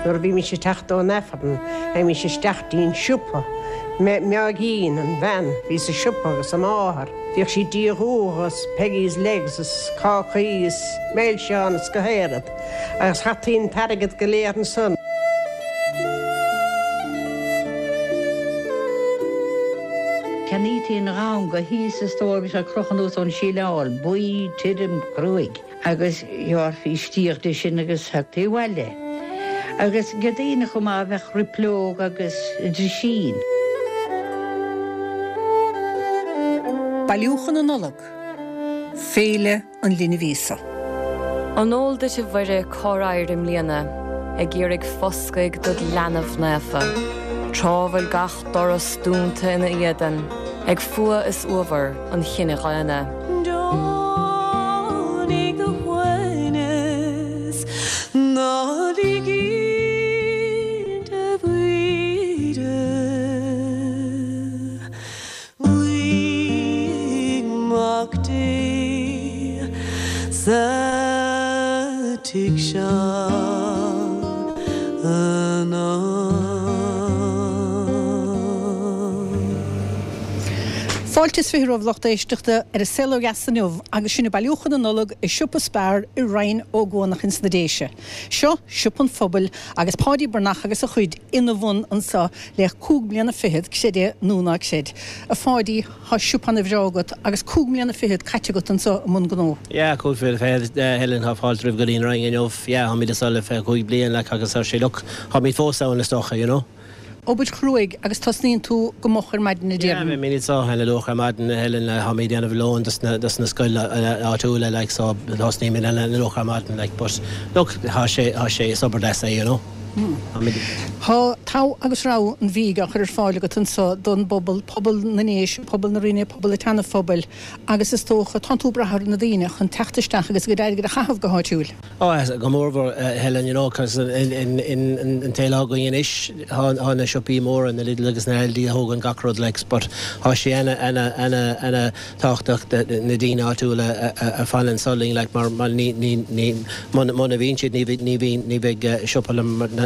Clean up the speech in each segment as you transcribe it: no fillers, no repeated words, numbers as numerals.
Nuair a bhímis ag teacht ón Aifreann, théimis isteach dtí'n siopa. Meáigín, an bhean, bhí sa siopa agus a máthair. Bhíodh sí ag díol umha is Peggy's Legs is cácaí is milseáin is gach aon rud. Agus chaití an t-airgead go léir ansan. Cheannaítí an ghamhna thíos sa stór, bhí sé ag crochadh anuas ón síleáil, buí, tirim, cruaidh. Agus ghearrfaí stíoch de sin agus thagtaí abhaile. Agus ag daoine chomh maith bheadh roipleog agus drisín. Bailiúchán na Nollag, Féile an Linbh Íosa. An eol duit a Mhuire cár éirigh i mbliana ag iarraidh foscaidh dod leanbh naofa, tráth bhfuil gach doras dúnta ina éadan ag fuath is uabhar an chine dhaonna? Deonaigh do shuaimhneas, ná lig a Mhuire. Guigh Mac Dé sa tigh seo anocht. Fáilte is 20 romhaibh lucht éisteachta ar An Saol Ó Dheas inniu agus sinn ag bailiúchán na Nollag i siopa Spar i Rinn Ó gCuanach ins na Déise. Seo siopa an phobail agus Páidí Breathnach agus a chuid ina bhun anseo le cúig bliana fichead, creid é nó ná creid. A Pháidí, thá siopa ana bhreá agat agus cúig mbliana fichead caite agat anseo i mbun gnó. Yeah, cúig bliana fichead, Helen, tá fáilte roimh go dtí an Rinn inniu. Yeah, tháimid anseo le 25 bliain, like, agus tá sé, look, tháimid fós ann is dócha, you know. Obair chruaidh agus tosnaíonn tú go moch ar maidin a Yeah, déarfainn. beimid anseo ana luath ar maidin a Helen, táimid ag déanamh lóin dos na dos na scoil áitiúla like so tosnaímid ana luath ar maidin like but look thá sé thá sé is obair deas é you know. Táimid. Thá togha agus rogha an bhídh á chur ar fáil agat anseo don bpobal, pobal na nDéise, pobal na Rinne, pobal an tSeana-Phobail agus is dócha tánn tú ag brath ar na daoine chun teacht isteach agus a gcuid airgid a chaitheamh go háitiúil. Oh go mórmhór Helen, you know, cos in an tsaol atá againn anois, thá na siopaí móra, na Lidl agus na Aldi a thógann gach rud like, but thá sé ana, ana, ana, ana tábhachtach na daoine áitiúla a fan anso linn like mar mar ní, ní, ní, muna, muna bhíonn siad ní bhí, ní bhíonn, ní bheidh siopa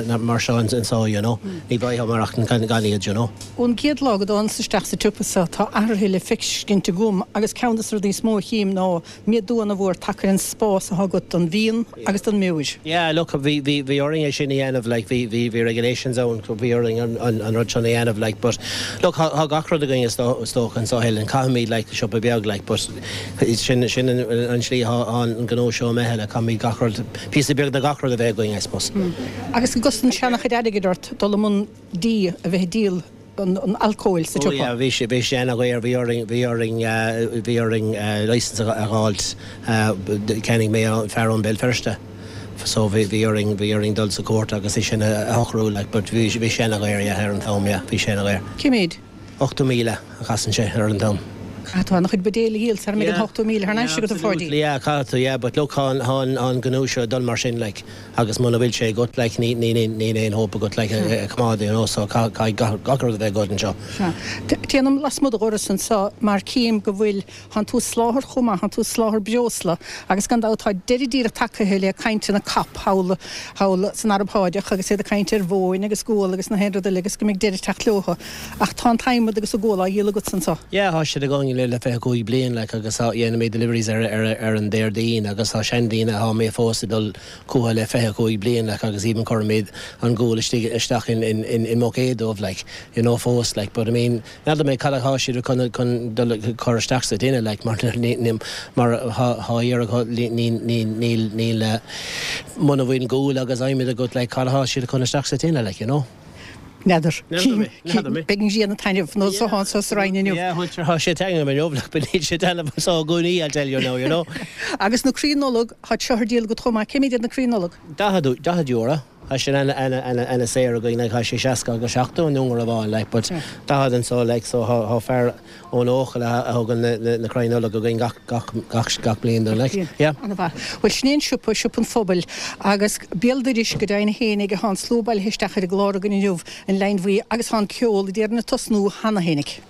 mar seo anso, you know, ní bheidh mar ach gan iad, you know. Ón gcéad lá go dtánas isteach sa tsiopa seo tá athruithe le feiscint agam agus ceann de na rudaí is mó a chím ná Méadú ana mhór tagtha ar an spás atá agat don bhfíon agus don mbeoir. Yeah, look, bhí, bhí, bhí orainn é sin a dhéanamh, like, bhí, bhí, bhí regulations ann, bhí orainn an, an, an rud sin a dhéanamh, like, but, look, thá, thá gach rud againn is dó, is dócha anso, Helen, caithfimid, like, siopa beag, like, but, sin, sin an, an slí thá, thá an gnó seo imithe, like, caithfimid gach rud, píosa beag de gach rud a bheith againn, I suppose. Agus an gcosann sé ana chuid airgid ort dul i mbun dí a bheith ag díol an alcóil sa Oh tsiopa. yeah, bhí sé, bhí sé ana-dhaor, bhí orainn, bhí orainn, bhí orainn licence a dh'fháilt, cheannaigh mé ó fear ón Béal Feirste, so bhí, bhí orainn, bhí orainn dul sa cúirt agus é sin a shocrú like, but bhí, bhí sé ana-dhaor, yeah, ar an t-am, yeah, bhí sé ana-dhaor. Cé mhéid? 80,000 a chasann sé ar an t-am. Caithfidh tú an-chuid buidéal a dhíol sara mbeidh an 80,000 thar n-ais agat a Pháidí. Absolutely, yeah, caithfidh tú, yeah, but look, thá an, thá an, thá an gnó seo ag dul mar sin like. Agus muna bhfuil sé agat, like, ní, ní, níl aon hope agat, like, a choimeád, you know, so caithfidh gach, gach rud a bheith agat anseo. Sea. Téanam lasmuigh de dhoras anseo mar cím go bhfuil, thánn tú ag soláthar chomh maith, thánn tú ag soláthar breosla agus gan dabht tá deireadh díreach tagaithe le cainteanna COP thall, thall san Araib Sháideach agus iad ag caint ar mhóin agus gual agus na haon rud eile agus go mbeidh deireadh ag teacht leothu. Ach tá an t-adhmad agus an gual á dhíol agatsa anseo. Yeah, thá siad againn le le 25 bliain, like, agus thá, dhéanaimid deliveries ar, ar, ar an Déardaoin agus thá seandaoine athá mé fós ag dul chucu le 25 bliain, like, agus even cuirimid an gual istigh, isteach in, in, in, i mbuicéad dóibh, like, you know, fós, like, but I mean, n'fheadar mé cad athá siad chun, chun dul cur isteach sa tine, like, mar ní, ní, mar thá, thá iarraidh, ní, ní, ní, níl, níl, muna bhfuil gual agus adhmad agat, like, cad athá siad chun isteach sa tine, like, you know. N'fheadar. Beidh an ghrian ag taitneamh nó so anso sa Rinn inniu. Yeah, tá sé ag taitneamh inniu, but níl sé ag taitneamh anso i gcónaí, I'll tell you now, you know. Agus na crainn Nollag, tá seo ar díol agat chomh maith. Cé mhéad iad na crainn Nollag? €40. Tá sin ana, ana, ana, ana saor againn, like, tá sé 60 agus 70 i nDún Garbhán, like, but 40 anso, like, so thá fear, ón Eochaill a thugann na crainn Nollag againn gach, gach, gach, gach bliain dúinn, like. Yeah. Ana-mhaith. Bhuel, sin é an siopa, Siopa an Phobail, agus béal dorais go deimhin fhéinig thá an slua bailithe isteach ar an gclár againn inniu, an Leidhinn Bhuí, agus thá an ceol, a déarfainn, ag tosnú cheana fhéinig.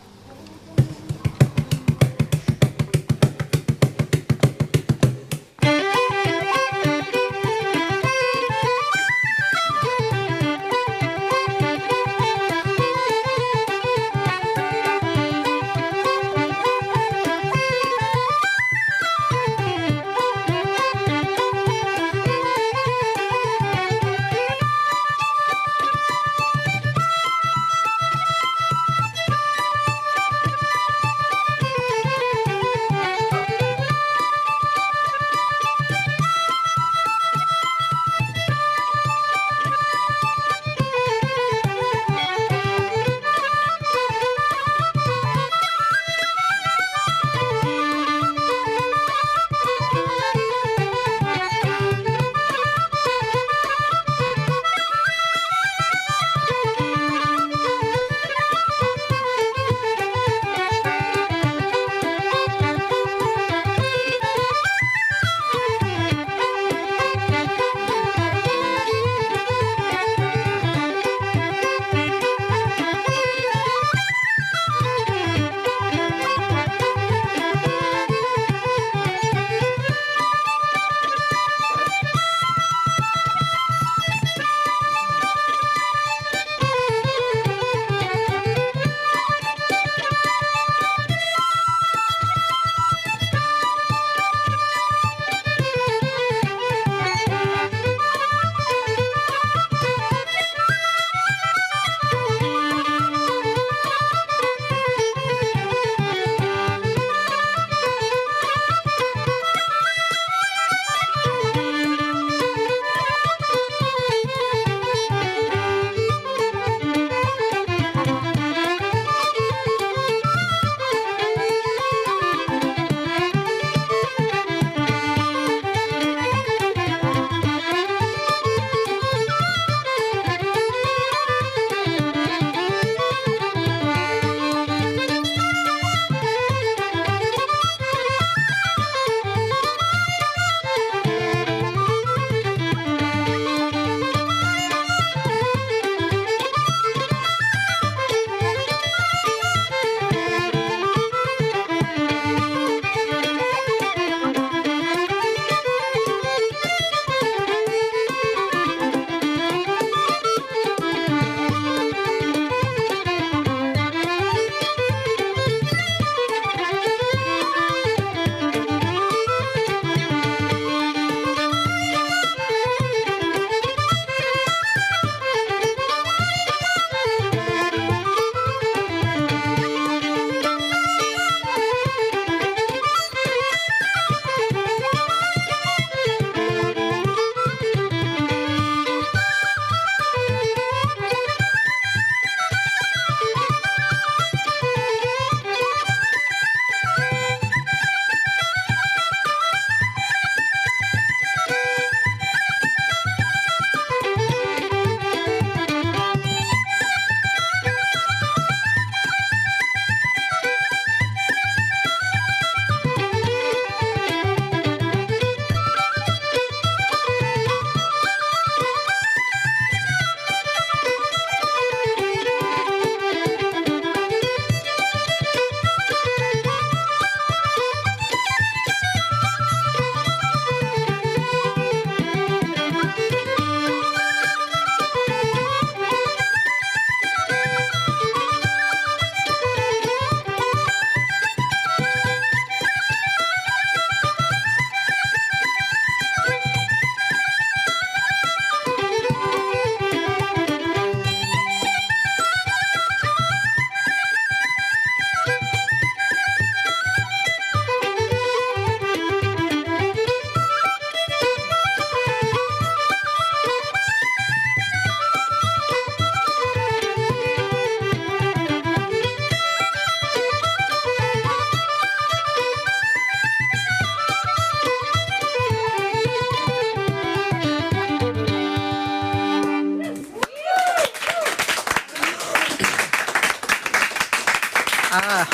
Ah,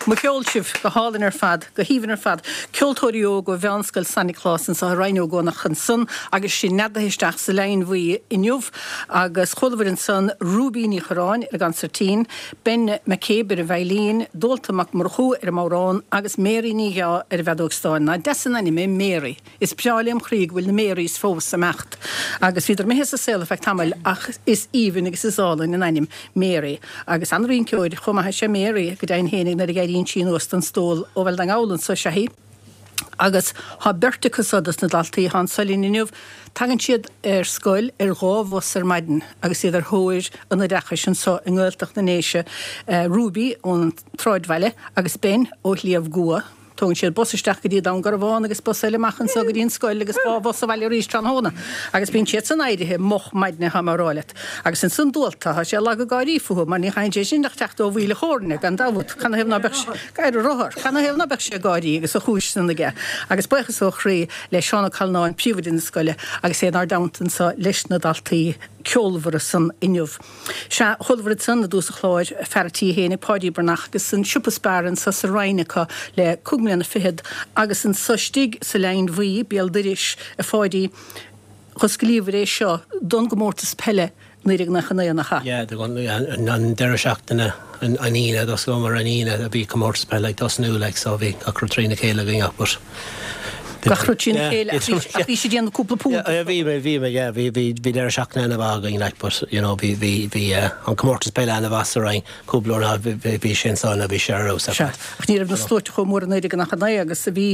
mo cheol sibh, go hálainn ar fad, go haoibhinn ar fad. Ceoltóirí óga ó Mheánscoil San Nioclás anseo i Rinn Ó gCuanach ansan agus sinn neadaithe isteach sa Leidhin Bhuí inniu agus chualabhair ansan Ruby Ní Churráin ar an gconsairtín, Ben McCabe ar an veidhlín, Dualta Mac Murchú ar an mbodhrán agus Mary Ní Dheá ar an bhfeadóg stáin. Nach deas an ainm é Mary? Is breá lem chroí go bhfuil na Marys fós ag imeacht agus bhíodar imithe as an saol ar feadh tamaill ach is aoibhinn agus is álainn an ainm Mary agus an-rinceoir chomh maith is ea Mary go deimhin fhéinig nuair a éiríonn sí anuas den stól ó Bhaile na nGall anso is ea í agus thá beirt acu so dos na daltaí athá anso linn inniu. Tagann siad ar scoil ar dhá bhus ar maidin agus iad ar thóir an oideachais anso i nGaeltacht na nDéise, Ruby ón tSráidbhaile agus Ben ó Shliabh gCua. Tógann siad bus isteach go dtí Dún Garbhán agus bus eile amach anso go dtí an scoil agus 2 bhus abhaile arís tráthnóna. Agus bíonn siad san éirithe moch maidne thá mé a rá leat. Agus ansan Dualta, thá sé lag ag gáirí fúthu mar ní chaitheann sé sin ach teacht ó Mhaoil a' Chóirne, gan dabht. Canathaobh ná beadh sé, ar a rothar, canathaobh ná beadh sé ag gáirí agus a chúis san aige. Agus buíochas ó chroí le Seán Ó Callanáin, príomhoide na scoile, agus é inár dteannta anso leis na daltaí ceolmhara san inniu. Sea, chualabhair ansan i dtús an chláir, fear a' tí fhéinig, Páidí Breathnach, agus an siopa Spar anso sa Rinn acu le cúig mbliana fichead, agus anso istigh sa Leidhin Bhuí, béal doiris, a Pháidí, dh'osclaíobhair é seo don gcomórtas peile 1999, nach ea? Yeah, an deireadh seachtaine, an Aoine, d'osclaíomar an Aoine a bhí comórtas peile ag tosnú, like, so bhí gach rud trína chéile againn ach but. Gach rud trína chéile ach bhí ach bhí siad ag déanamh cúpla punt. Yeah, bhí bhí bhí yeah bhí bhí bhí deireadh seachtaine ana-mhaith againn like but you know bhí bhí bhí eh an comórtas peile ana-mhaith sa Rinn cúpla uair ná bhí bhí bhí sé ansan a bhí sé ar fheabhas ar Sea, fad. ach ní raibh na sluaite chomh mór i 1999 agus a bhí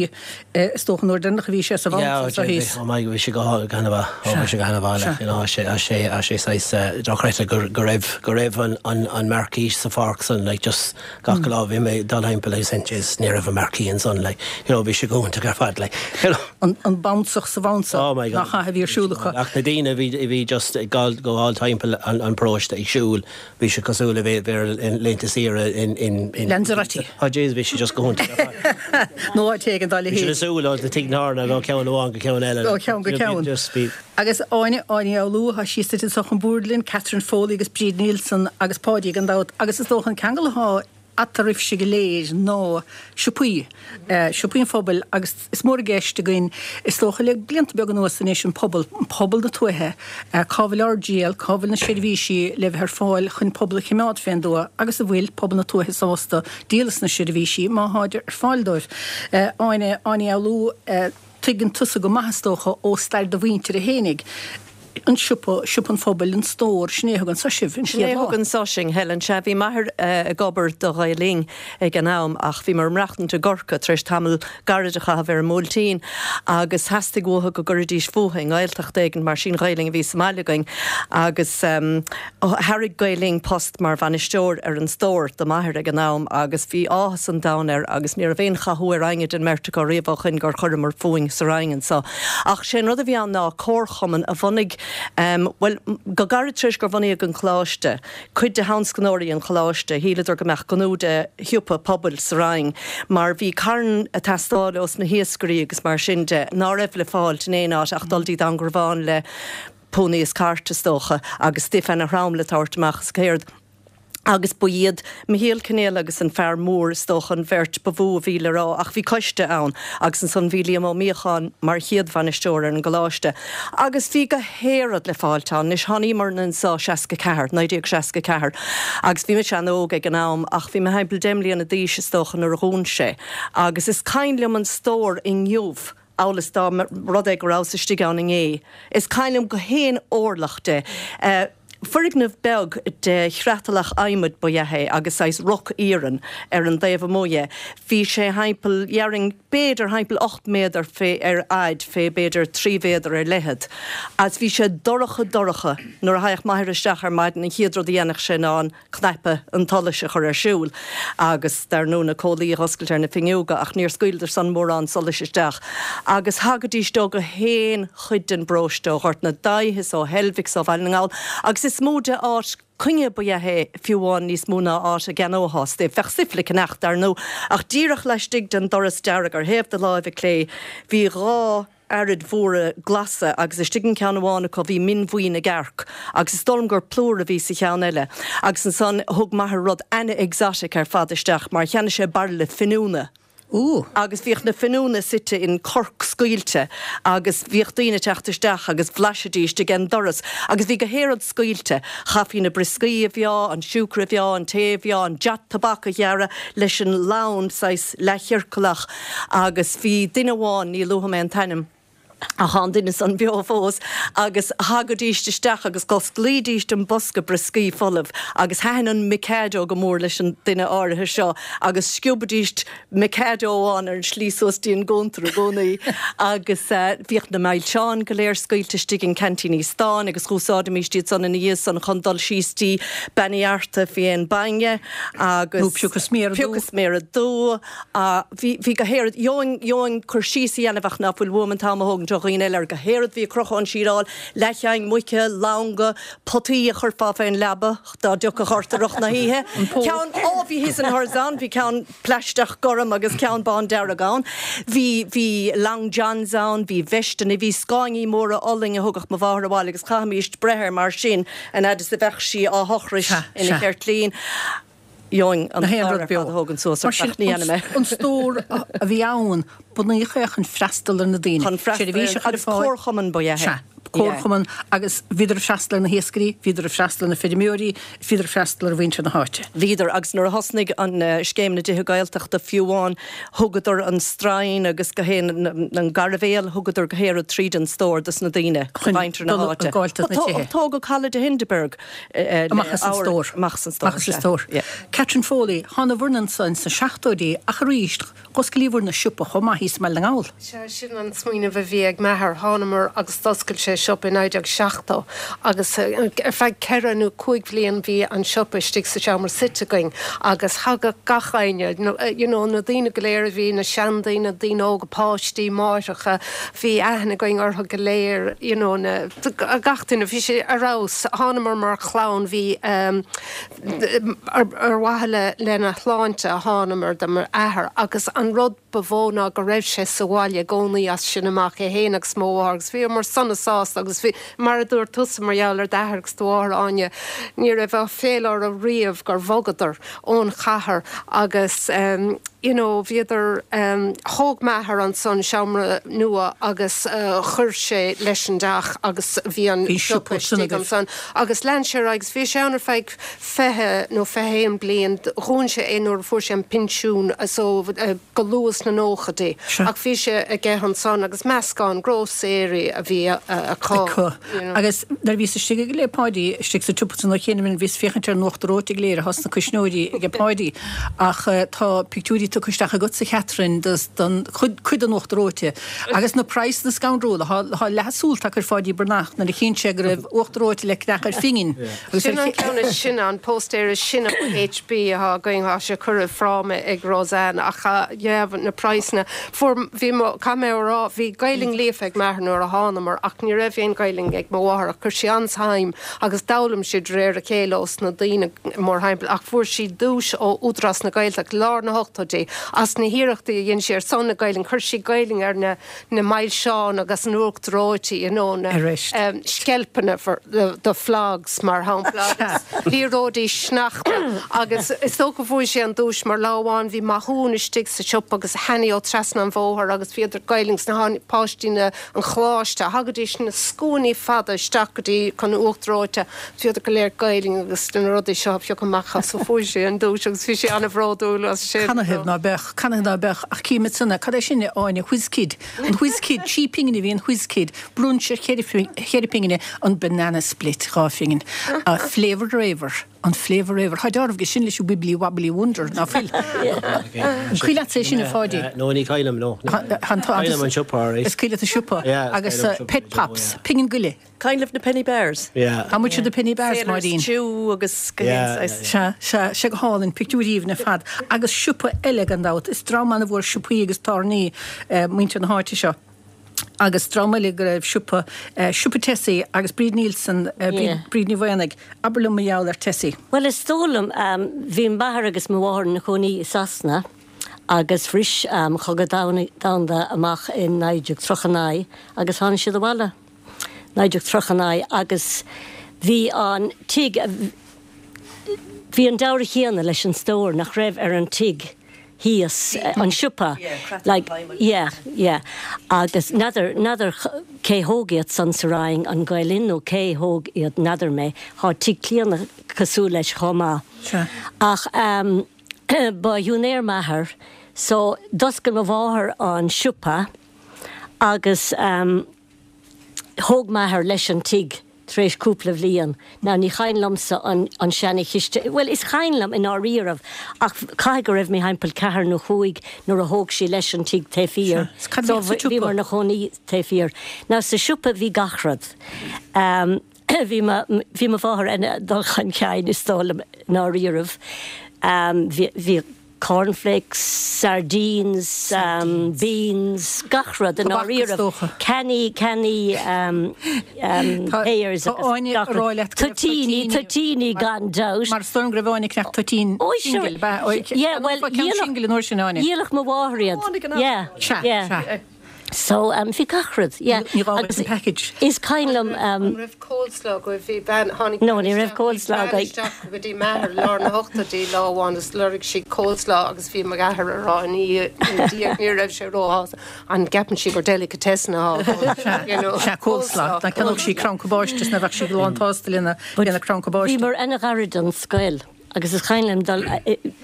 eh is dócha an uair deireanach a bhí sé sa bhfad Yeah, anso bhí thíos. oh my bhí sé go go han-mhaith oh bhí sé go han-mhaith like you know sé sé sé saghas eh dochreidte go go raibh go raibh an an an marquee sa pháirc san like just Gach lá bhí mé ag dul thimpeall agus jeez ní raibh an marquee ansan like you know bhí sé go hiontach ar fad like you know. An an bouncach sa bhounce Oh my God. nach ea a bhí ar siúl acu. Ach na daoine a bhí a bhí just ag gabháil gabháil timpeall an an paróiste ag siúl bhí sé cosúil le bheith bheith ar laethanta saoire in in in Lanzarote. Oh jeez bhí sé just go hiontach ar fad. Nó áit éigin dá Bhí siad leithéid. ag siúl ó tigh na hAirne ó cheann amháin go ceann eile. Ó cheann go ceann. Just bhí. Agus Áine, Áine Ní Fhoghlú, thá sí suite anso chun boird linn, Catherine Foley agus Bríd Nielsen agus Páidí gan dabht. Agus is dócha an ceangal athá eatarthaibhse go léir ná siopaí, siopaí an phobail agus is mór i gceist againn is dócha le blianta beaga anuas anois an pobal, pobal na tuaithe, cá bhfuil ár dtriall, cá bhfuil na seirbhísí le bheith ar fáil chun pobal a chimeád fén dtuath agus an bhfuil pobal na tuaithe sásta díol as na seirbhísí má tháid ar fáil dóibh. Áine, Áine Ní Fhoghlú. Tuigeann tusa go maith, is dócha, ó stair do mhuintire fhéinig, an siopa, siopa an phobail, an stór, sin é a thug anso sibh an Sin é chéad a lá. thug anso sinn, Helen. Sea, bhí m'athair ag obair do Ghael Linn ag an am ach bhíomar ag maireachtaint i gCorcaigh tar éis tamall gairid a chaitheamh ar an mBuailtín agus theastaigh uathu go gcuirfidís fúthu i nGaeltacht éigin mar sí'n Ghaelainn a bhí sa mbaile againn agus Thairg Gael Linn post mar bhainisteoir ar an stór do m'athair ag an am agus bhí áthas an domhain air agus ní raibh aon chathú ar éinne den mbeirt acu riamh ó shoin gur chuireamar fúinn sa Rinn anso. Ach sé an rud a bhí ann ná comharchumann a bhunaigh, bhuel, go gairid tar éis gur bunaíodh an coláiste, cuid de thionscnóirí an choláiste, shíleadar go mbeadh gnó de shiopa pobail sa Rinn mar bhí carn ag teastáil ós na hiascairí agus mar sin de ná raibh le fáilt in aon áit ach dul dtí Dún Garbhán le pony is cart, is dócha, agus stuif ana-throm le tabhairt amach is céard. Agus ba iad Michéal Cinéal agus an fear mór, is dócha, an bheirt ba mhó a bhí le rá, ach bhí coiste ann agus ansan bhí Liam Ó Míocháin mar chéad bhainisteoir ar an gcoláiste. Agus bhí gach aon rud le fáilt ann. Anois thánaíomarna anso 64, 1964, agus bhí mise an-óg ag an am ach bhí mé thimpeall deich mbliana d'aois, is dócha, nuair a dhún sé. Agus is cuimhin liom an stór inniu. amhail is dá mba rud é go rabhas istigh ann inné. Is cuimhin liom gach aon orlach de. Foirgneamh beag de chreatalach adhmaid ba ea é agus saghas roc iarainn ar an dtaobh amuigh dhe. Bhí sé thimpeall, dhéarfainn, b'fhéidir thimpeall 8 méadar fé ar fhaid fé b'fhéidir 3 mhéadar ar leithead. Agus bhí sé dorcha dorcha. Nuair a thagadh m'athair isteach ar maidin an chéad rud a dhéanfadh sé ná an. cnaipe an tsolais a chur ar siúl agus dar ndóigh na comhlaí a dh'oscailt ar na finneoga ach níor scaoileadar san mórán solais isteach agus thagaidís ó gach aon chuid den bparóiste, ó Ghort na Daighthe is ó Heilbhic is ó Bhaile na nGall agus is mó de áit coinne ba ea é fiú amháin níos mó ná áit a gceannóthá stuif. Bheadh stuif le ceannach dar ndóigh ach díreach laistigh den doras dearg ar thaobh do láimhe clé bhí dhá. araid mhóra glasa agus istigh in ceann amháin acu bhí min bhuí na gcearc agus is dóigh liom gur plúr a bhí sa cheann eile agus ansan thug m'athair rud ana-exotic ar fad isteach mar cheannaigh sé bairille finiúna. Ooh. Agus bhíodh na finiúna suite in corc scaoilte agus bhíodh daoine ag teacht isteach agus bhlaisidíst ag an doras agus bhí go haon rud scaoilte. Chaithfí na brioscaí a mheá, an siúcra a mheá, an tae a mheá, an jot tobac a ghearradh leis an lann saghas leathchiorclach agus bhí duine amháin, ní luafaidh mé an t-ainm, Ach tá an duine san beo fós agus thagaidíst isteach agus dh'osclaídíst an bosca brioscaí folamh agus thaitin an Mikado go mór leis an duine áirithe seo agus sciobaidíst Mikado amháin ar an slí suas dtí an gcuntar i gcónaí agus bhíodh na milseáin go léir scaoilte istigh in ceaintíní stáin agus dh'úsáidimíst iad san ina dhiaidh san chun dul síos dtí Bean Uí Fhearta fé dhéin bainne agus Nó piocadh sméara dubh. Piocadh sméara dubh. Bhí, bhí go haon rud, gheobhainn, gheobhainn cur síos a dhéanamh ach ná fuil uaim an t-am a thógaint ó dhaoine eile ar go haon rud a bhí ag crochadh ón síleáil, leathcheann muice, longa, potaí a chuirfeá fén leaba dá dtiocfadh ort i rith na hoíche. Ceann, ó bhí his and hers ann, bhí ceann plaisteach gorm agus ceann bándearg ann. Bhí, bhí long johns ann, bhí veisteanna, bhí scáinní móra olainn a thugadh mo mháthair abhaile agus chaithimíst breith air mar sin an fhad is a bheadh sí á thochrais ina ceirtlín. Gheobhainn an clár ar fad a thógaint suas ort ach ní dhéanfaidh mé. An stór a bhí ann, bunaíodh é chun freastal ar na daoine. Chun freastal ar, agus comharchumann ba ea é. Sea, comharchumann agus bhíodar ag freastal ar na hiascairí, bhíodar ag freastal ar na feirmeoirí, bhíodar ag freastal ar mhuintir na háite. Bhíodar, agus nuair a thosnaigh an scéim na dTithe Gaeltachta fiú amháin, thugadar an stroighin agus go haon, an gairbhéal, thugadar go haon rud tríd an stór dos na daoine, mhuintir na háite. Tógadh Halla de Hindeberg. Amach as an stór. Amach as an stór, Amach as an stór. Catherine Foley, Thánabhair-ne anso ins na seachtóidí ach arís, dh'osclaíobhair-ne siopa chomh maith thíos i mBaile na nGall. Sea, sin an smaoineamh a bhí ag m'athair. Thánamar agus d'oscail sé siopa i 1970 agus ar feadh ceithre nó cúig bhliain bhí an siopa istigh sa seomra suite againn agus thagadh gach éinne, you know, na daoine go léir a bhí, na seandaoine, daoine óga, páistí, máithreacha, bhí aithne againn orthu go léir, you know, na, gach duine, bhí sé ar fheabhas. Thánamar mar chlann, bhí, ar mhaithe le, lena shláinte a thánamar do m'athair agus an rud ba mhó ná go raibh sé sa bhaile i gcónaí as sin amach, é fhéin agus mo mháthair agus bhíomar sona sásta agus bhí, mar a dúirt tusa mar gheall ar d'athair agus do mháthair, Áine, ní raibh áiféala orthu riamh gur bhogadar ón chathair agus you know bhíodar, thóg m'athair ansan seomra nua agus chuir sé leis an dteach agus bhí an siopa istigh ansan agus lean sé ar aghaidh agus bhí sé ann ar feadh 20 nó 21 bliain, dhún sé é nuair a fuair sé an pinsiún so go luath sna nóchaidí ach bhí sé aige ansan agus meascán grósaeirí a bhí acu. Agus nuair a bhíos istigh ag le Páidí, istigh sa tsiopa san oíche cheana, bhíos féachaint ar an uachtar reoite go léir atá sna cuisneoirí aige Páidí. Ach tá pictiúirí tugtha isteach agatsa, a Chatherine, don chuid den uachtar reoite. Agus na praghsanna scanrúla. Tá leath a súl tagtha ar Pháidí Breathnach nuair a chinn sé go raibh uachtar reoite le ceannach ar phingin. Sin an ceann is sine, an póstaer is sine ó HB atá againn. Tá sé curtha i bhfráma ag Roseanne ach yeah, na praghsanna. Fuair, bhí mo, caithfidh mé a rá, bhí Gaelainn líofa ag m'athair nuair a thánamar ach ní raibh aon Ghaelainn ag mo mháthair ach chuir sí an-suim agus d'fhoghlaim sí de réir a chéile ós na daoine mórthimpeall ach fuair sí duais ó Údarás na Gaeltachta lár na hochtóidí as na hiarrachtaí a dhein sí ar son na Gaelainne. Chuir sí Gaelainn ar na na milseáin agus an uachtar reoite, you know, na sceilpeanna for the, the flogs mar shampla agus liathróidí sneachta agus is dócha bhuaigh sé an duais mar lá amháin bhí Mathúna istigh sa siopa agus Hanny ó trasna an bhóthair agus bhíodar Gaelainn agus na páistí na an choláiste thagaidís na scuainí fada isteach go dtí chun uachtar reoite bhíodar go léir Gaelainn agus na rudaí seo a phiocadh amach as so fuair sé an duais agus bhí sé an-bhródúil as sin. Canathaobh ná beadh, canathaobh ná beadh, ach cím ansan, cad é sin, a Áine, Whiz Kid, an Whiz Kid, trí pingine a bhí an Whiz Kid, brunch ar cheithre pingine, an Banana Split, 2 phingin, Flavour Raver, an Flavour Raver, tá dealramh aige sin leis an Wibbly Wobbly Wonder, ná fuil? An cuimhin leatsa é sin, a Pháidí? No, ní cuimhin liom, no. Cuimhin liom an siopa, alright. Is cuimhin leat an siopa, agus Pet Pops, pingin go leith. Kind of na Penny Bears. Yeah. How much are the Penny Bears, Sailor's Máirín? Chew agus go yeah. Sea, sea, sé go hálainn, pictiúirí aoibhinn ar fad. Agus siopa eile gan dabht. Is dream an-mhór siopaí agus tábhairní muintir na háite seo. Agus dream eile go raibh siopa, siopa Tessie agus Bríd Nielsen, Bríd Ní Mhaonaigh. Abair liom mar gheall ar Tessie. Bhuel, is dóigh liom, bhí m'athair agus mo mháthair ina chónaí i Sasana. Agus bhris an Cogadh Domhanda amach in 1939 agus tháinig siad abhaile 1939 agus bhí an tigh, bhí an dealramh chéanna leis an stór nach raibh ar an tigh thíos, an siopa, like, yeah, yeah. Agus n'fheadar, n'fheadar cé thóg iad san sa Rinn, an Gael Linn nó cé thóg iad, n'fheadar mé, thá tigh Clíona cosúil leis chomh maith. Ach ehm, ba shiúinéir m'athair so d'oscail mo mháthair an siopa agus ehm, Thóg m'athair leis an tigh tar éis cúpla bhliain. Now ní chuimhin liomsa an an seana chiste, bhuel is cuimhin liom i ndáiríribh ach caithfidh go raibh mé thimpeall ceathair nó chúig nuair a thóg sí leis an tigh taobh thiar. Sea, cad a bhíodh sa So tsiopa? bhíomar ina chónaí taobh thiar. Now sa siopa bhí gach rud. Ehm bhí mo bhí mo mháthair ana dul chun cinn is dóigh liom i ndáiríribh. Ehm bhí bhí. Cornflakes, sardines, beans, gach rud i ndáiríribh, cannaí, cannaí pears agus gach rud, toitíní, toitíní gan dabht. Mar is dóigh liom go raibh Áine ag ceannach toitín singil, ab ea? Yeah, bhuel, dhíolfadh mo mháthair iad, yeah, yeah. So, bhí gach rud, yeah. Ní gá duit an package. Is cuimhin liom. An raibh coleslaw agaibh? Bhí bean, tháinig No, ní raibh coleslaw bhí bean againn. isteach go dtí m'athair lár na hochtóidí lá amháin agus lorg sí coleslaw agus bhí m'athair ag rá ina dhiaidh, ní raibh sé róshásta, an gceapann sí gur delicatessen atá ann, you know. Sea, coleslaw. Dá gceannódh sí crann cabáiste is ná bheadh sí lán tsásta lena, lena crann cabáiste. Bhíomar ana-ghairid don scoil agus is cuimhin liom dul,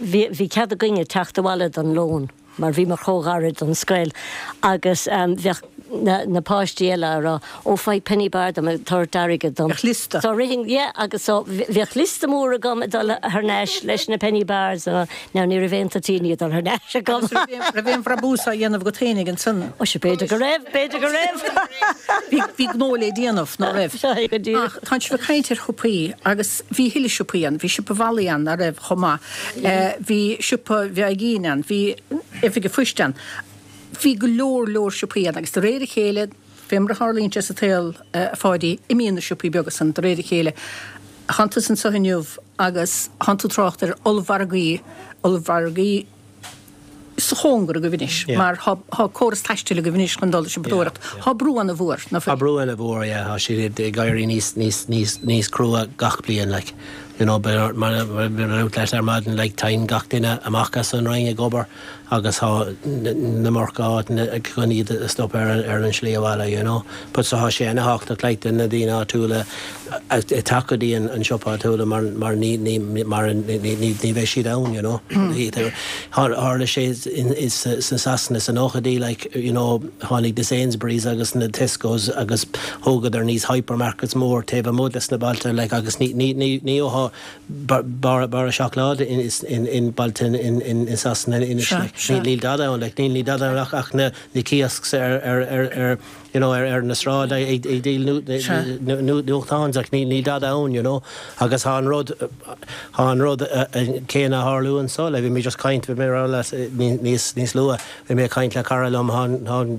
bhí, bhí cead againne teacht abhaile don lón. mar bhíomar chomh gairid don scoil agus bheadh na páistí eile á rá, ó faigh penny bar dom, ag tabhairt airgead dom. Bheadh liosta. So rithinn, yeah, agus so bheadh liosta mór agam ag dul thar n-ais leis na penny bars, now ní raibh aon toitíní ag dul thar n-ais agam. Agus raibh aon bhrabús á dhéanamh agat fhéinig ansan? Ó sea, b'fhéidir go raibh, b'fhéidir go raibh. Bhí, bhí gnó le déanamh, ná raibh? Sea, go díreach. Ach tánn sibh ag caint ar shiopaí agus bhí a thuilleadh siopaí ann, bhí siopa Mholly ann, ná raibh, chomh maith. Bhí siopa Mheaigín ann, bhí oifig an phoist ann. Bhí go leor leor siopaí ann agus de réir a chéile, fé mar a tharlaíonn sé sa tsaol, a Pháidí, imíonn na siopaí beaga san de réir a chéile. Thánn tusa anso inniu agus thánn tú ag trácht ar ollmhargaí, ollmhargaí sa chóngar agaibh anois mar thá córas taistil agaibh anois chun dul ag siopadóireacht. Thá brú ana mhór, ná fuil? Tá brú ana mhór, yeah. Thá siad ag éirí níos, níos, níos, níos crua gach bliain, like. You know, mar a dúirt leat ar maidin, like, téann gach duine amach as an Rinn ag obair agus thá an iomarca áiteanna chun iad a stop ar ar an slí abhaile, you know. But so thá sé ana thábhachtach, like, do na daoine áitiúla ag teacht go dtí an siopa áitiúla mar mar ní ní mar ní ní ní bheidh siad ann, you know. Tharla sé in sa Sasana sa nóchaidí, like, you know, tháinig na Sainsbury's agus na Tesco's agus thógadar níos hypermarkets mór taobh amuigh des na bailte, like, agus ní ní ní ní gheofá barra barra seacláide in in in bailte in in in Sasana anois, like, níl níl dada ann, like, níl níl dada ann ach ach na na kiosks ar ar ar ar you know, ar ar na sráid ag ag díol nuachtáin, like, níl níl dada ann, you know, agus thá an rud thá an rud céanna a tharlú anso, like, bhí mé just caint, bhí mé ag rá leat níos níos luath, bhí mé ag caint le cara liom, thá an thá an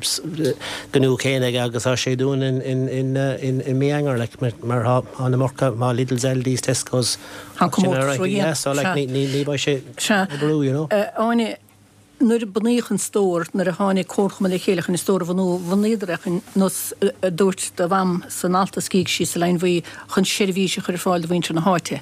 gnó céanna aige agus thá sé ag dúnadh in in in in mí Eanáir, like, mar thá thá an iomarca, thá Lidls, Aldis, Tescos, Thá an comórtas ró-dhian. yeah, so like ní ní ní bheidh sé ag brú, you know. Áine, Nuair a bunaíodh an stór, nuair a tháinig comharchumann le chéile chun an stór a bhunú, bhunaíodar é chun, nós a dúirt do mham san alt a scrígh sí sa Line Bhuí, chun seirbhís a chur ar fáil do mhuintir na háite.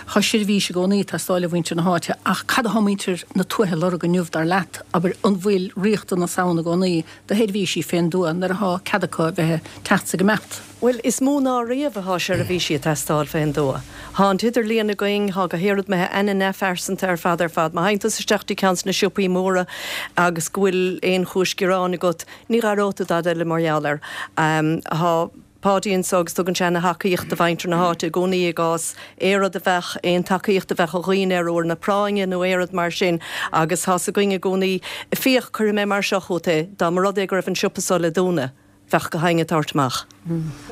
Tá seirbhís i gcónaí ag teastáil ó mhuintir na háite, ach cad atá muintir na tuaithe ag lorg inniu, dar leat? Abair, an bhfuil riachtanas ann i gcónaí do sheirbhísí fén dtuath nuair atá cead acu a bheith ag teacht 's ag imeacht? Bhuel, is mó ná riamh atá seirbhísí ag teastáil fén dtuath. Thá an t-idirlíon againn, thá go hiarraidh imithe ana-neamhphearsanta ar fad ar fad. Má théann tusa isteach dtí ceann de na siopaí móra agus go bhfuil aon chúis gearáin agat, ní dh'aireoidh tú dada eile mar gheall air. Thá Páidí anso agus tugann sé ana-thacaíocht do mhuintir na háite i gcónaí i gcás aon rud a bheadh, aon tacaíocht a bheadh ó dhaoine ar uair na práinne nó aon rud mar sin agus tá's againn i gcónaí, féach, cuirfidh mé mar seo chugat é, dá mba rud é go raibh an siopa so le dúnadh, bheadh gach éinne ag tabhairt amach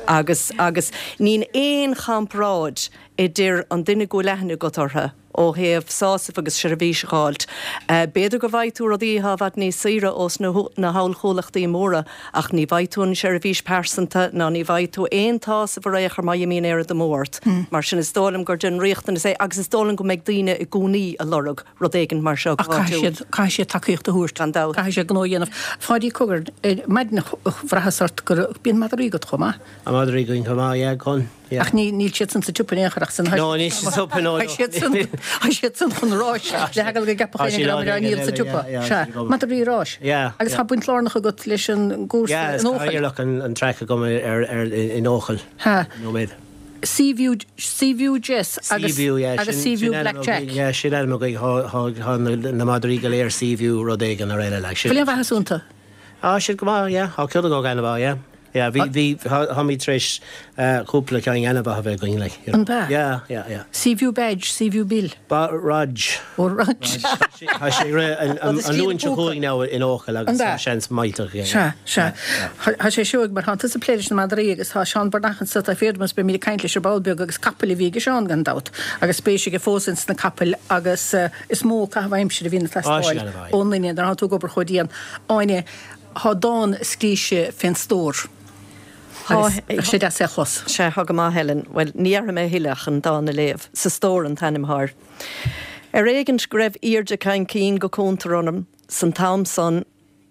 agus agus níl aon chomparáid idir an duine go bhfuil aithne agat orthu. ó thaobh sásamh agus seirbhís a dh'fháilt. B'fhéidir go bhfaighidh tú rudaí atá i bhfad níos saoire ós na hollchomhlachtaí móra ach ní bhfaighidh tú an seirbhís pearsanta ná ní bhfaighidh tú aon tsásamh ar aon chor má imíonn aon rud amú ort. Mar sin is dóigh liom gur den riachtanas é agus is dóigh liom go mbeidh daoine i gcónaí a lorg rud éigin mar seo go Ach caithfidh siad, caithfidh siad tacaíocht a thabhairt. Gan dabht. Caithfidh siad gnó a dhéanamh. Pháidí, cogar, ar maidin bhraitheas ort go raibh, bíonn madraí agat chomh maith. Tá madraí againn chomh maith, yeah, con. Ach ní, níl siad san sa tsiopa in aon chor ach san, No, níl siad sa tsiopa, no, no. Tá siad san, tá siad san chun ráis le heagla go gceapfadh éinne go rabhamar á ndíol sa tsiopa. Sea, madraí ráis. Agus tá baint lárnach agat leis an gcúrsa Yeah, in Eochaill. is cathaoirleach an traic agam ar, ar, in Eochaill. Ha. Nóiméad. Seaview, Seaview Jess agus, Seaview, yeah, agus sin, Seaview sin ainm Black Jack. againn, yeah, sin ainm againn, thá, thá, thá na, na madraí go léir Seaview rud éigin ar eile, like, sin. Bhfuil aon mhaitheas iontu? Tá siad go maith, yeah, thá ceann acu an-mhaith, yeah. Yeah, bhí, bhí, táimid tar éis cúpla ceann an-mhaith a bheith againn, like, you know. An b'ea? Yeah, yeah, yeah. Seaview Badge, Seaview Bill. Ba, Rog. Ó, Rog. Tá sé ag rith an, an, an Luan seo chugainn now in Eochaill agus An b'ea? tá seans millteach aige. Sea, sea. Tá sé seoigh mar tá tusa ag plé leis na madraí agus tá Seán Breathnach anso taobh thiar dom agus beimid ag caint leis ar ball beag agus capaill a bhí aige Seán gan dabht agus spéis aige fós ins na capaill agus is mó caitheamh aimsire a bhíonn ag teastáil ón nduine nuair atá tú ag obair chomh dian. Áine, Thá dán scríte fén stór agus bheadh sé deas é a chlos. Sea, thá go maith, Helen. Bhuel, ní dhéarfaidh mé a thuilleadh ach an dán a léamh. Sa Stór an t-ainm athá air. Ar éigint go raibh aoirde caincín go cuntar orm san t-am san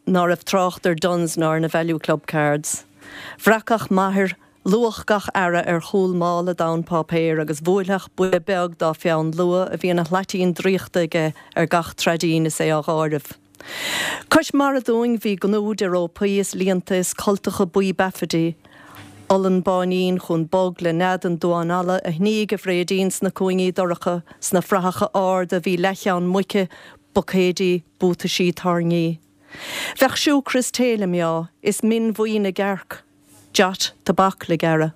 ná raibh trácht ar Dunnes ná ar na Value Club Cards. Bhreacfadh m'athair luach gach earra ar chúl mála donn páipéir agus bhuailfeadh buille beag dá pheann luaidhe a bhí ina shlaitín draíochta aige ar gach traidín is é á dh'áireamh. Cois mara dúinn bhí gnúis de rópaí is líonta is cultacha buí beafaidí, olann báinín chúng bog le nead an duáin alla a shnígh a bhréidín sna cúingí dorcha, sna fraitheacha arda bhí leathcheann muice, buicéidí, buataisí tairngí. Bheadh siúcra is tae le meá, is min bhuí na gcearc. Jot tobac le gearradh.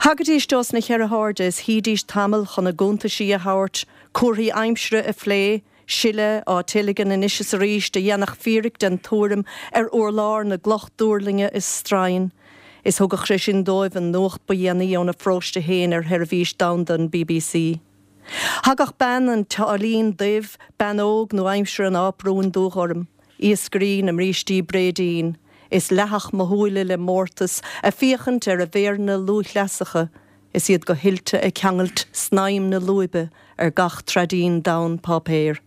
Thagaidís ós na cheithre hairde is shuídís tamall chun a gcuntaisí a thabhairt, cúrsaí aimsire a phlé, siolla á teilgean anois is arís a dhéanfadh fíric den tuairim ar urlár na gcloch duirlinge is stroighin, is thugadh sé sin dóibh an nuacht ba dhéanaí óna pharóiste féin ar sheirbhís domhanda an bbc. Thagadh bean an tsáilín duibh, bean óg nó aimsir an áprúin dúghorm, iascairí na mbrístí bréidín, is leathfadh mo shúile le mórtas a' féachaint ar a mhéireanna lúthchleasacha is iad go hoilte ag ceangailt snaidhm na lúibe ar gach traidín donn páipéir.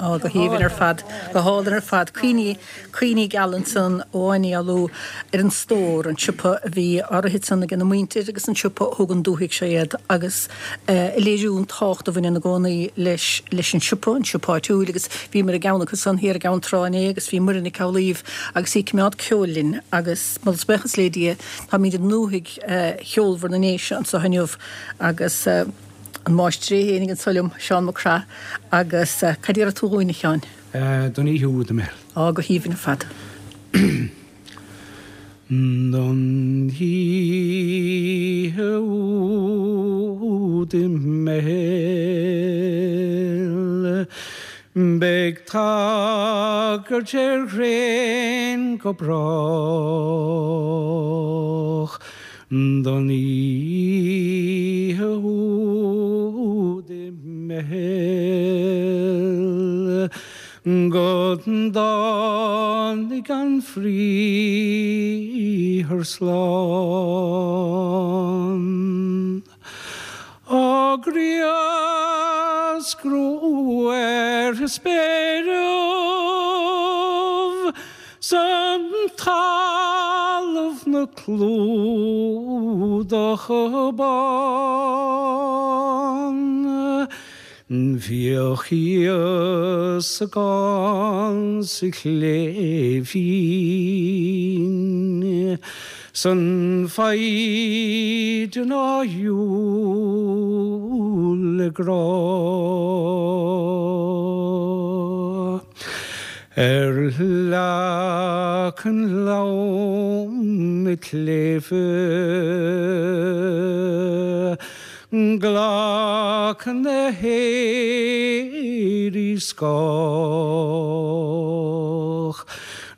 Á, go haoibhinn ar fad, go hálainn ar fad. Cuimhní, cuimhní geala ansan ó Áine Ní Fhoghlú ar an stór, an siopa a bhí á rith ansan ag a muintir agus an siopa a thug an dúthaigh seo iad agus a léiriú an tábhacht a bhaineann i gcónaí leis, leis an siopa, an siopa áitiúil agus bhíomar i gceann acu san thiar i gCeann Trá inné agus bhí Muireann Nic Amhlaoibh agus í ag coimeád ceoil linn agus moladh is buíochas le Dia táimid i ndúthaigh cheolmhar na nDéise anso inniu agus an máistir é fhéinig anso liom, Seán Mac Craith, agus cad iarrfaidh tú dhúinn, a Sheáin? Don oíche úd i mBeithil. Á, go haoibhinn ar fad. Don oíche úd i mBeithil beidh tagairt ar ghréin go brách. Don oíche úd i mBeithil go dtáinig an Bhriathar slán. Á ghrioscrú ar spéiribh 's an talamh 'na clúdach bán. Bhíodh Íosagán sa chléibhín 's an foighdean á dhiúl le grá. Ar leac an lom tsléibhe. Glac na héirí scáth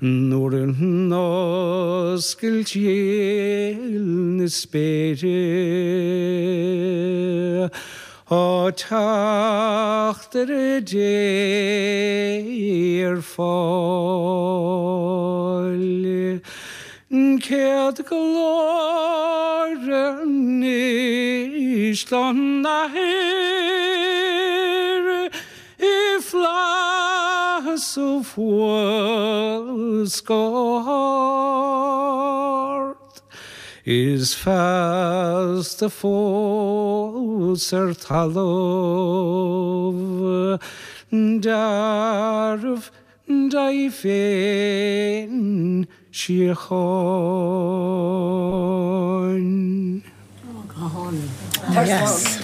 nuair a n-oscailt néal na spéire. Tá teachtaire Dé ar fáil. Céad glóir anois don Athair i bhflaitheas thuas go hard. Is feasta fós ar talamh dearbh daoibh féin síocháin. Ana-dheas.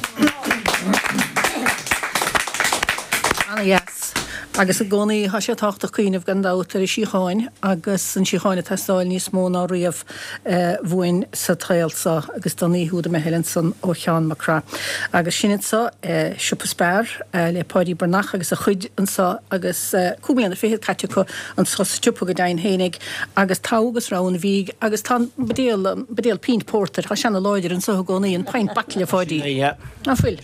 Agus i gcónaí tá sé tábhachtach cuimhneamh gan dabht ar an síocháin agus an síocháin ag teastáil níos mó ná riamh uainn sa tsaol seo agus don oíche úd i mBeithil ansan ó Sheán Mac Craith. Agus sin anso Siopa Spar le Páidí Breathnach agus a chuid anso agus cúig mbliana fichead caite acu anso sa tsiopa go deimhin fhéinig agus togha agus rogha an bhídh agus tá an buidéal, an buidéal pínt pórtair, tá sé ana láidir anso i gcónaí, an pint bottle a Pháidí. Ná fuil?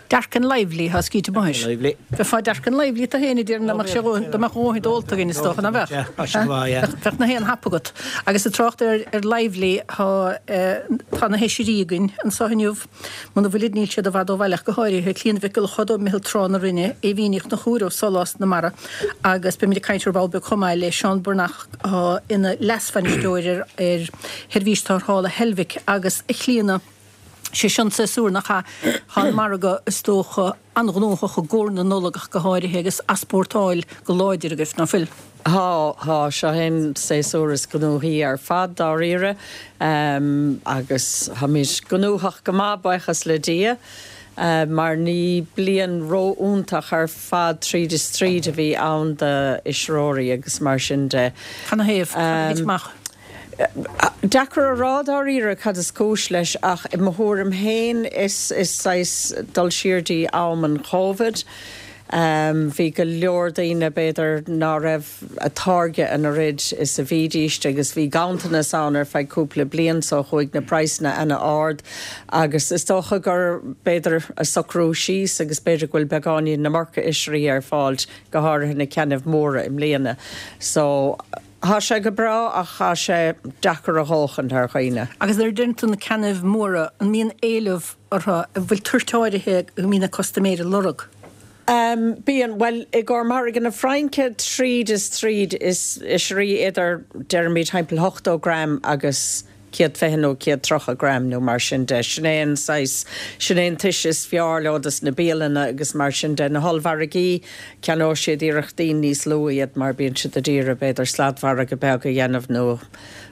Dark and lively atá scríte amuigh air. Lively. Bheifeá dark and lively tú féin a déarfainn dá mbeadh sé dhóthain, dá mbeadh a dhóthain ólta againn is dócha, nach mbeadh? Yeah, tá sé go maith, yeah. Bheadh na haon hap agat. Agus ag trácht ar, ar lively, tá, tá na hOisrí againn anseo inniu. Muna bhfuilid níl siad i bhfad ó bhaile ach go háirithe, Clíona Mhic Giolla Chód ó Meitheal Trá na Rinne, Aoibhín Ní Chonchúir ó Sólás na Mara agus beimid ag caint ar ball beag chomh maith le Seán Breathnach atá ina leasbhainisteoir ar, ar Sheirbhís Tarrthála Heilbhic agus a Chlíona, sé seo an séasúr nach ea? Tá an margadh, is dócha, an-ghnóthach i gcomhair na Nollag ach go háirithe agus easpórtáil go láidir agaibh, ná fuil? Tá, tá. Seo é an séasúr is gnóthaí ar fad, dáiríre, agus táimid gnóthach go maith, buíochas le Dia, mar ní bliain ró-iontach ar fad tríd is tríd a bhí ann d'oisreoirí agus mar sin de. Canathaobh? Cad a thit amach? Deacair a rá dáiríre cad is cúis leis ach i mo thuairim féin is saghas dul siar dtí am an Chovid. Bhí go leor daoine b'fhéidir ná raibh a' táirgeadh an oiread is a bhídíst agus bhí ganntanas ann ar feadh cúpla bliain so chuaigh na praghsanna ana-ard agus is dócha gur b'fhéidir a socrú síos agus b'fhéidir go bhfuil beagáinín na iomarca oisrí ar fáilt go háirithe na ceannaibh móra i mbliana so Thá sé go breá ach thá sé deacair a dhóchaint ar dhaoine. Agus nuair a deireann tú na ceannaibh móra, an mbíonn éileamh orthu, an bhfuil toirt áirithe go mbíonn na custaiméirí ag lorg? Bíonn. Bhuel, i gcomhair margadh na Fraince, tríd is tríd, is oisrí idir, deirimid, thimpeall 80 gram agus 120 nó 130 gram nó mar sin de. Sin é an saghas, sin é an toise is fearr leo dos na bialanna agus mar sin de. Na hollmhargaí, ceannóidh siad iarrachtaí níos lú iad mar bíonn siad ag iarraidh b'fhéidir sladmhargadh beag a dhéanamh nó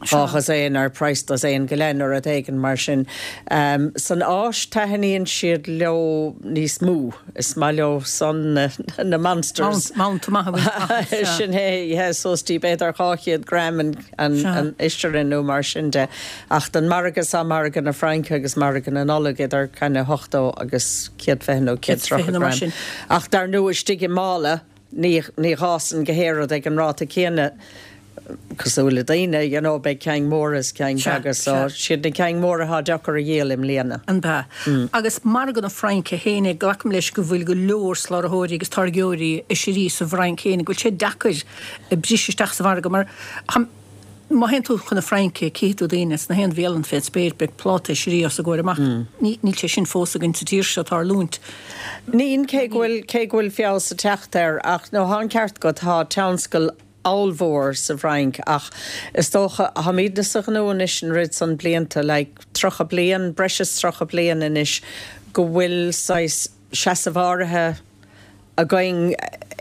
dhá dhosaen ar praghas dosaen go leith nó rud éigin mar sin. San Áis taitníonn siad leo níos mó. Is maith leo san na monsters. Mount maith a bhaint amach. Sin é, yeah, suas dtí b'fhéidir 200 gram an. an oisre nó mar sin de. Ach don margadh seo, margadh na Fraince agus margadh na Nollag, idir kind of 80 agus 120 nó 130 gram. Ach dar ndóigh istigh i mála, ní ní fhásann gach aon rud ag an ráta céanna cosúil le daoine, you know, beidh cinn mhóra is cinn bheaga so siad na cinn mhóra atá deacair a dhíol i mbliana. An ea? Agus margadh na Fraince féin, glacaim leis go bhfuil go leor sláraitheoirí agus táirgeoirí oisrí sa bhFrainc féin, go bhfuil sé deacair briseadh isteach sa mhargadh mar má théann tú chun na Fraince cífidh tú daoine sna haon bhialann fén spéir beidh pláta oisrí os a gcomhair amach. Níl sé sin fós againn sa tír seo, tarlúint. Níl, cé go bhfuil, cé go bhfuil feabhas ag teacht air ach no thá an ceart agat, thá tionscal ollmhór sa bhFrainc ach is dócha, tháimídne sa ghnó anois an oiread san blianta, like 30 bliain, breis is 30 bliain anois go bhfuil saghas seasamh áirithe againn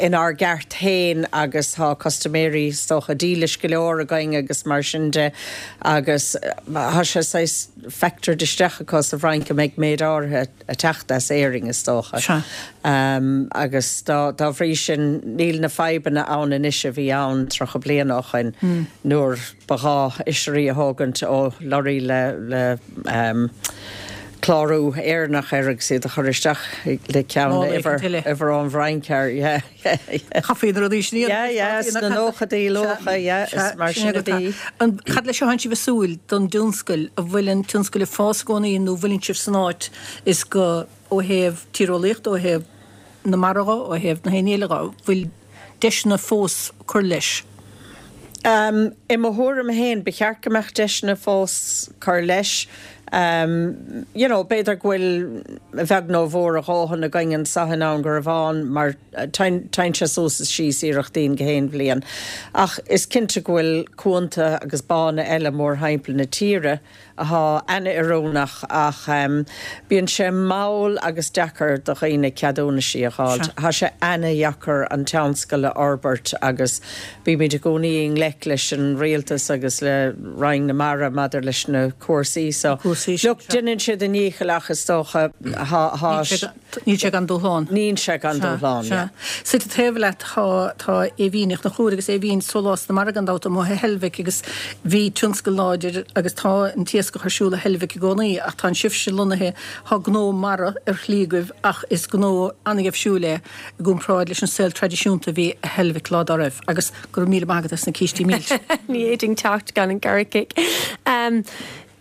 inár gceart féin agus tá custaiméirí is dócha dílis go leor againn agus mar sin de agus tá sé saghas factored isteach acu sa bhFrainc go mbeidh méid áirithe ag teacht as Éirinn is dócha. Sea. Agus dá bhrí sin níl na fadhbanna ann anois a bhí ann 30 bliain ó shoin nuair Ba ghá oisrí a thógaint ó lorraí le clárú Éireannach air agus iad a chur isteach le ceann uimhir uimhir ón bhFrainc air. Yeah, yeah, yeah. Chaithfí na rudaí sin a dhéanamh. Yeah, yeah, sna nóchaidí, luacha, yeah, is mar sin a bhí. Cad leis a thánn sibh ag súil don dtionscal? An bhfuil an tionscal ag fás i gcónaí nó an bhfuileann sibh san áit is go. ó thaobh tíreolaíochta, ó thaobh na mara dho, ó thaobh na haon eile dho, bhfuil deiseanna fós cur leis? I mo thuairim féin, ba cheart go mbeadh deiseanna fós cur leis. You know, b'fhéidir go bhfuil a bheag nó a mhór a dhóthain againn anso i nDún Garbhán mar téann sé suas is síos iarrachtín gach aon bhliain. Ach is cinnte go bhfuil cuanta agus bánna eile mórthimpeall na tíre athá ana-oiriúnach ach bíonn sé mall agus deacair do dhaoine ceadúnaisí a dh'fháilt. Thá sé ana-dheacair an tionscal a fhorbairt agus bímid i gcónaí i ngleic leis an rialtas agus le Roinn na Mara maidir leis na cúrsaí so. Look, deineann siad a ndícheall ach is dócha thá, thá. Níl sé gan dúshlán. Níl sé gan dúshlán, yeah. Suite taobh leat tá tá Aoibhín Uí Chonchúir agus Aoibhín sólás na mara gan dabht amuigh i Heilbhic agus bhí tionscal láidir agus tá an t-iascach ar siúl i Heilbhic i gcónaí ach tá sibhse lonnaithe, tá gnó mara ar shlí agaibh ach is gnó an-gheimhsiúil é i gcomparáid leis an saol traidisiúnta a bhí i Heilbhic lá dá raibh agus go raibh míle maith agat as na cístí milse. Ní fhéadfainn teacht gan an carrot cake.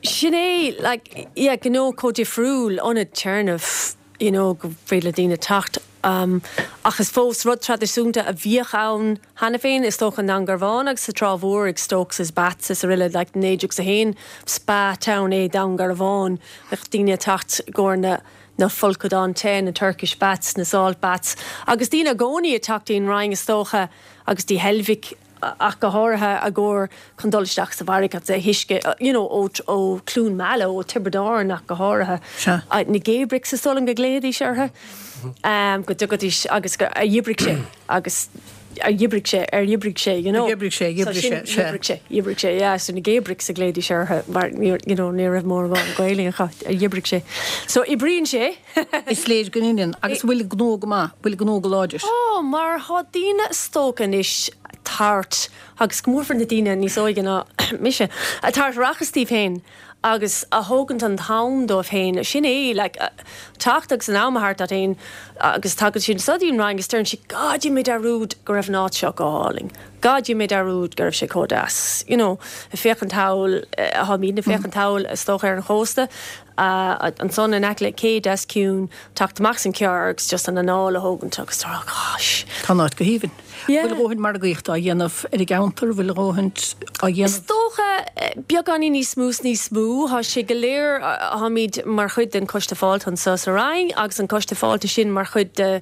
Sin é, like, yeah, gnó chomh difriúil, ionad téarnaimh, you know, go féidir le daoine teacht, ach is fós rud traidisiúnta a bhíodh ann cheana féin, is dócha, i nDún Garbhán agus sa Trá Mhór ag Stokes is Baths is araile, like, 1901, spa town é Dún Garbhán, bheadh daoine ag teacht i gcomhair na, na folcadáin te, na Turkish baths, na salt baths, agus daoine i gcónaí ag teacht dtí'n Rinn, is dócha, agus dtí Heilbhic. ach go háirithe i gcomhair chun dul isteach sa bhfarraige agus an t-uisce you know ó ó Cluain Meala ó Tiobraid Árann ach go háirithe. Sea. Na gay bricks is dóigh liom go nglaoidís orthu go dtugaidís agus go ar dh'oibrigh sé agus ar dh'oibrigh sé ar dh'oibrigh sé you know. Ar dh'oibrigh sé so sin dh'oibrigh sé sea. Dh'oibrigh sé dh'oibrigh sé yeah so na gay bricks a ghlaoidís orthu mar ní you know ní raibh mórán Gaeilge acu ar dh'oibrigh sé. So oibríonn sé. Is léir go n-oibríonn. Agus an bhfuil gnó go maith, bhfuil gnó go láidir? Tá, mar tá daoine is dócha anois thart, agus go mórmhór na daoine níos óige ná mise, ag tabhairt rachas díobh féin agus a thógaint an t-am dóibh féin. Sin é, like, teacht agus an am a thabhairt dóibh féin agus tagann siad anso dtí'n Rinn agus deireann siad, God, dhein mé dearúd go raibh an áit seo go hálainn. God, dhein mé dearúd go raibh sé chomh deas. You know, ag féachaint thall, táimidne ag féachaint thall is dócha ar an chósta. Ansan in aice le cé deas ciúin, teacht amach as an charr agus just an anáil a thógaint agus a rá gosh. Tá an áit go haoibhinn. Yeah. Bhfuil a dhóthain margaíochta á dhéanamh ar an gceantar? Bhfuil a dhóthain á dhéanamh? Is dócha beagáinín níos mó is níos mó. Tá sé go léir, táimid mar chuid den Choiste Fáilte anso sa Rinn agus an Coiste Fáilte sin mar chuid de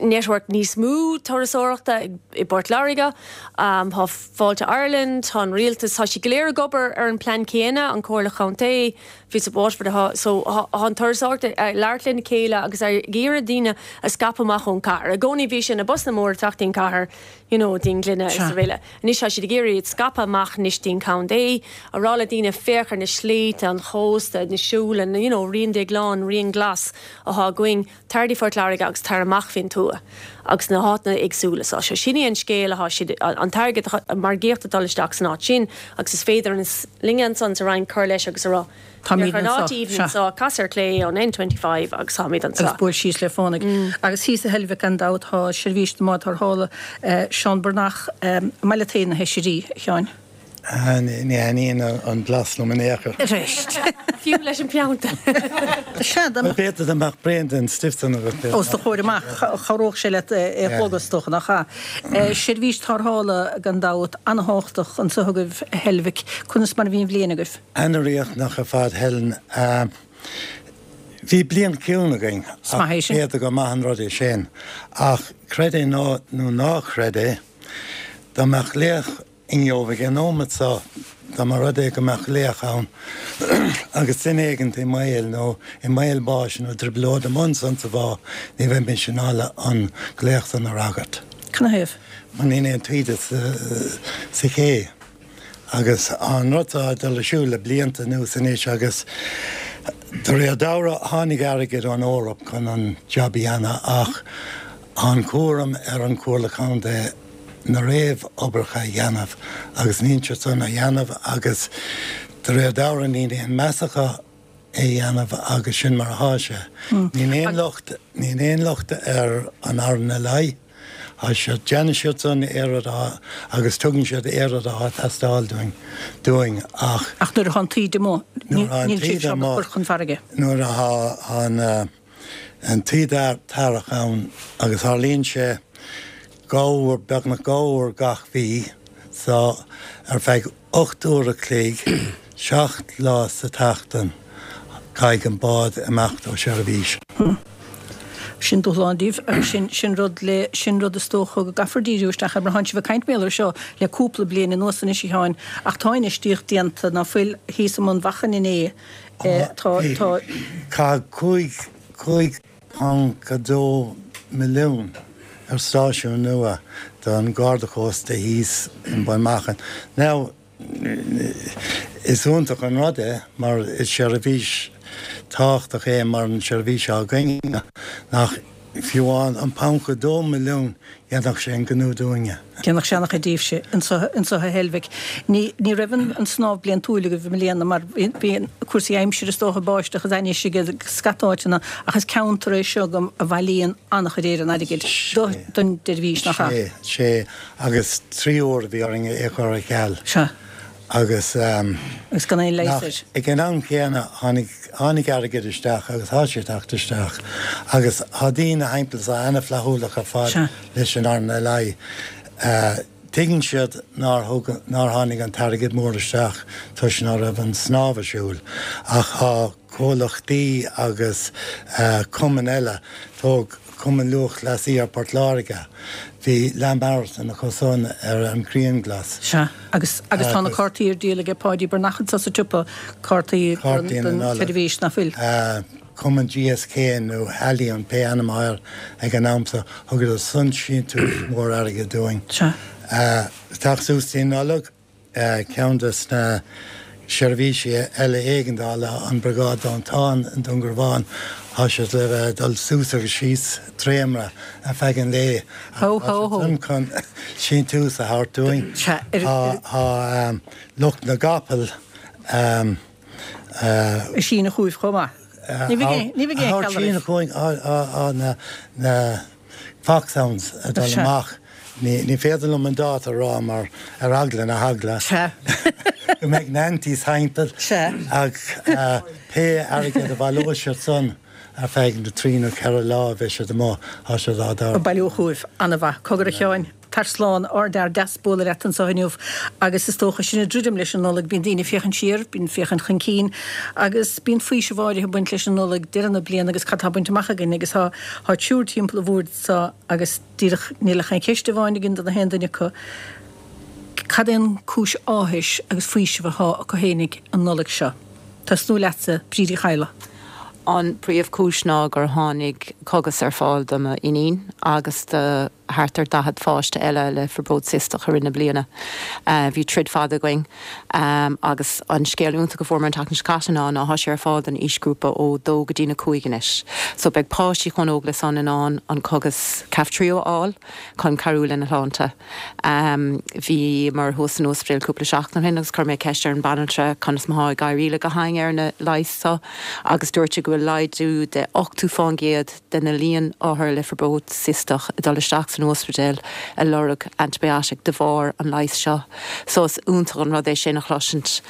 network níos mó turasóireachta i bPort Láirge. Tá Fáilte Ireland, tá an rialtas, tá siad go léir ag obair ar an plean céanna, an Comhairle Chontae, Visit Waterford atá, so tá an turasóireacht ag labhairt lena chéile agus ag iarraidh daoine a scaipeadh amach ón chathair. I gcónaí bhí sé na busanna móra ag teacht dtí'n cathair, you know, dtí'n Ghleanna is araile. Anois tá siad ag iarraidh iad scaipeadh amach anois dtí'n contae, a rá le daoine féach ar na sléibhte, an chósta, na siúla, you know, Rian Déagláin, Rian Glas atá againn. Tar dtí Phort Láirge agus tar amach fén tuath agus na háiteanna éagsúla so. Sin é an scéal athá siad, an t-airgead, an margaíocht ag dul isteach san áit sin agus is féidir linne ansan sa Rinn cur leis agus a rá, Táimid féach ar an anso, áit aoibhinn sea. anso, cas ar clé ón N25 agus táimid anso. Agus buail síos le fánaidh. Agus thíos i Heilbhic gan dabht tá seirbhís na mbád tarrthála, Seán Breathnach, an maith leat féin na hoisrí, a Sheáin? Ní thaitníonn an blas liom in aon chor. Arís. Fiú leis an bpianta. Sea, dá mbeadh. B'fhéidir dá mbeadh braon den stuif san agat. Os do chomhair amach, chabhródh sé leat é a shlogadh, is dócha, nach ea? Seirbhís tarrthála, gan dabht, an-thábhachtach anso agaibh i Heilbhic. Conas mar a bhí an bhliain agaibh? Ana-riachtanach ar fad, Helen. Bhí bliain chiúin againn, Is maith é ach sin. b'fhéidir gur maith an rud é sin. Ach creid é nó ná creid é, dá mbeadh glaoch inniu ag an nóimeat seo, dá mba rud é go mbeadh glaoch ann agus duine éigint i mbaol nó i mbaol báis nó trioblóid amuigh ansan sa bhá, ní bheimis in ann an glaoch san a fhreagairt. Canathaobh? Mar níl aon taoide sa ché. Agus tá an rud seo ag dul ar siúl le blianta anuas anois agus de réir dealraimh tháinig airgead ón Eoraip chun an jab a dhéanamh ach tá an cúram ar an Chomhairle Contae na réamh-oibreacha a dhéanamh agus níl siad san á dhéanamh agus de réir dealraimh níl aon meas acu é a dhéanamh agus sin mar athá sé. Níl aon locht, níl aon locht ar an RNLI. Tá siad, déanann siad san aon rud atá, agus tugann siad aon rud atá ag teastáil dúinn, dúinn ach. Ach nuair atá an taoide amuigh, níl siad seo ag cur chun farraige. Nuair atá an, an taoide t-earrach ann agus tharlaíonn sé dhá uair, beagnach dhá uair gach mhí, so ar feadh 8 uair a chloig, 7 lá sa tseachtain, caithfidh an bád imeacht ó sheirbhís. Sin dúshlán daoibh agus sin, sin rud le, sin rud is dócha go gcaithfear díriú isteach air mar tánn sibh ag caint mar gheall air seo le cúpla bliain anuas anois a Sheáin ach tá infheistíocht déanta ná fuil thíos i mBun Mhachan inné, tá, tá. Caitheadh 5, 5. 2 milliún ar stáisiún nua don Gharda Cósta thíos i mBun Machan. Now, is iontach an rud é mar is seirbhís tábhachtach é mar an seirbhís atá againne nach fiú amháin an 1.2 milliún Dhéanfadh sé an gnó dúinne. Dhéanfadh sé an-chuid daoibhse anso a Heilbhic. Ní ní raibh an snámh bliantúil agaibh i mbliana mar bhí cúrsaí aimsire is dócha, báisteach is ainnis ag scata áiteanna ach is ceantar é seo go a bhailíonn an-chuid ar an airgid don tseirbhís, nach ea? Sea, sea agus 3 uair a bhí orainn é a chur ar ceal. Sea. Agus. Agus gan aon leigheas air. Ag an am chéanna tháinig, tháinig airgead isteach agus tá sé ag teacht isteach agus tá daoine thimpeall is ana-fhlaithiúlach ar fad leis an RNLI. Tuigeann siad nár thug, nár tháinig an t-airgead mór isteach toisc ná raibh an snámh ar siúl ach tá comhlachtaí agus cumainn eile, tóg Cumann Lúthchleasaí Port Láirge, bhí leath marathon acu san ar an Ghrianghlas. Sea, agus agus tá na cártaí ar díol aige Páidí Breathnach anso sa tsiopa, cártaí don tseirbhís, nach bhfuil? Cumann GSK nó Halion, pé ainm atá air ag an am so, thugadar san síntiús mór airgid dúinn. Sea. Teacht suas dtí an Nollaig. Ceann de na seirbhísí eile éigeandála, an Briogáid Dóiteáin i nDún Garbhán, tá siad le bheith ag dul suas agus síos dréimire ar feadh an lae Ho, ho, ho. chun síntiús a thabhairt dúinn. Tá lucht na gcapall. Ag síneadh chugaibh chomh maith. Ní bheidh aon cheal oraibh. Síneadh chugainn á na Foxhounds ag dul amach. Ní féidir liom an dáta a rá mar ar eagla na heagla go mbeidh na antis thimpeall ach pé airgead a bhaileoidh siad san ar feadh na dtrí nó cheithre lá a bheidh siad amuigh, tá siad á dtabhairt. Ag bailiú chugaibh. An-mhaith. Cogar a Sheáin. Tar slán, ardfhear deas bualadh leat anseo inniu agus is dócha sinn ag druidim leis an Nollaig, bíonn daoine ag féachaint siar, bíonn féachaint chun cinn agus bíonn faoiseamh áirithe ag baint leis an Nollaig, deireadh na bliana agus cad tá bainte amach againn agus tá tá triúr timpeall an bhoird seo agus díreach níl ach aon cheist amháin againn do na haon duine acu, cad é an cúis áthais agus faoisimh atá acu fhéinig an Nollaig seo? Tosnú leatsa, Bríd Uí Chadhla. An príomhchúis ná gur tháinig cogas ar fáil do m'iníon agus do thart ar 40 pháiste eile le fiobróid cisteach i rith na bliana. Bhí troid fada againn agus an scéal iontach a fuair mé an tseachtain seo caite ná ná tá sé ar fáil don aoisghrúpa ó 2 go dtí na 5 anois. So beidh páistí chomh óg le san in ann an cogas Kaftrio a fháil chun cabhrú lena shláinte. Bhíomar thuas san ospidéal cúpla seachtain ó shin agus chuir mé ceist ar an banaltra conas mar thá ag éirí le gach éinne ar na leighis seo agus dúirt sí go bhfuil laghdú de 80 fán gcéad de na líon othar le fiobróid cisteach ag dul isteach san ospidéal ag lorg antibiotic de bharr an leighis seo. So is iontach an rud é sin a chloisint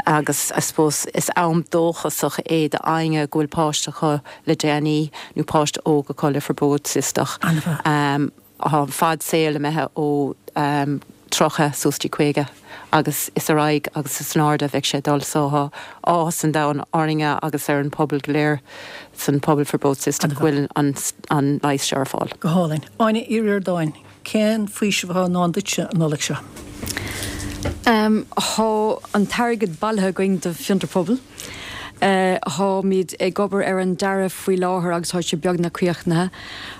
agus I suppose is am dóchasach é d'éinne go bhfuil páiste acu le déanaí nó páiste óg acu le fiobróid cisteach. Tá an fad saoil imithe ó 30 suas dtí 50 agus is ar aghaidh agus is in airde a bheidh sé ag dul so tá áthas an domhain orainne agus ar an pobal go léir san pobal fiobróid cisteach go bhfuil an an leigheas seo ar fáil. Go hálainn. Áine Uí Ríordáin, cén faoiseamh atá i ndán duitse an Nollaig seo? Tá an t-airgead bailithe againn do Fiontar Pobail. Táimid ag obair ar an dearadh faoi láthair agus tá sé beagnach críochnaithe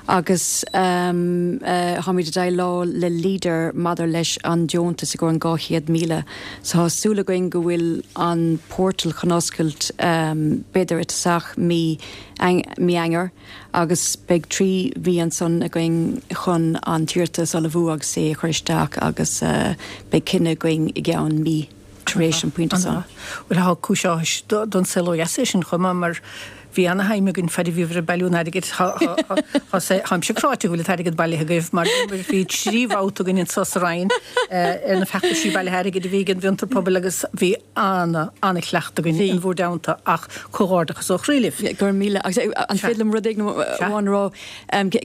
agus táimid ag déileáil le Leader maidir leis an deontas i gcomhair an 200,000. So tá súil againn go bhfuil an portal chun oscailt b'fhéidir i dtosach mí mí Eanáir agus beidh 3 mhí ansan againn chun an t-iarratas a ullmhú agus é a chur isteach agus beidh cinneadh againn i gceann mí. tar éis an pointe san. Bhuel, tá cúis áthais don saol ó dheas é sin chomh maith mar Bhí ana-shuim againn fad a bhíobhair ag bailiú an airgid. Táimse cráite go bhfuil an t-airgead bailithe agaibh mar bhí 3 bhabhta againn anseo sa Rinn ar na feachtaisí bailithe airgid a bhí ag an bhFiontar Pobail agus bhí ana, ana-chleachtadh againn in bhur dteannta ach comhghairdeachas ó chroí libh. Go raibh míle. Agus an féidir liom rud éigin amháin a rá?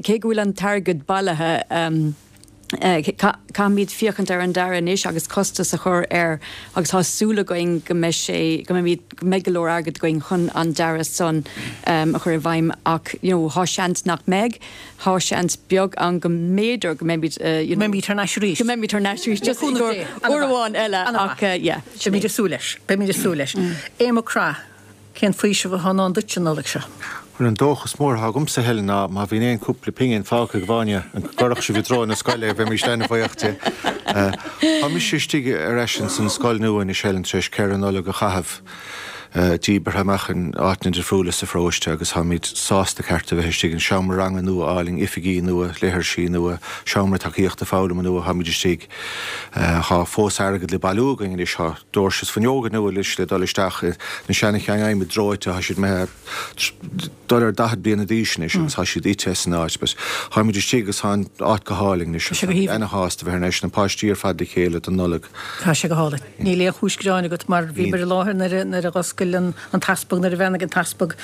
Cé go bhfuil an t-airgead bailithe, Caithfimid féachaint ar an dearadh anois agus costas a chur air agus tá súil againn go mbeidh sé, go mbeimid, go mbeidh go leor airgid againn chun an dearadh san a chur i bhfeidhm ach you know tá seans nach mbeidh, tá seans beag ann go mb'fhéidir go mbeimid you know. Go mbeimid thar n-ais arís. Go mbeimid thar n-ais arís just i gcomhair uair amháin eile ach yeah. Beimid ag súil leis, beimid ag súil leis. Aodh Mac Craith. Cén faoiseamh atá i ndán duit an Nollaig seo? Bhuel, an dóchas mór atá agamsa, Helen, ná má bhíonn aon chúpla pingin fágtha ag Áine, go gcuirfeadh sibh i dtreo na scoile é, bheimís an-bhuíoch di. Tá mise istigh ar ais ins an scoil nua anois, Helen, tar éis ceithre Nollag a chaitheamh díbeartha amach in áiteanna difriúla sa pharóiste agus táimid sásta ceart a bheith istigh in seomra ranga nua álainn, oifigí nua, leithrisí nua, seomra tacaíochta foghlama nua, táimid istigh. Tá fós airgead le bailiú againn anois, tá doirse is fuinneoga nua anois le dul isteach, na seana-cheann adhmaid dreoite, tá siad imithe dul ar 40 bliana d'aois anois agus tá siad ite as an áit but táimid istigh agus tá an áit go hálainn anois Tá sé go haoibhinn. ana-shásta bheith thar n-ais, na páistí ar fad le chéile don Nollaig. Tá sé go hálainn. Níl aon chúis gearáin agat mar bhíomar i láthair nuair a nuair a dh'oscail an an t-easpag, nuair a bheannaigh an t-easpag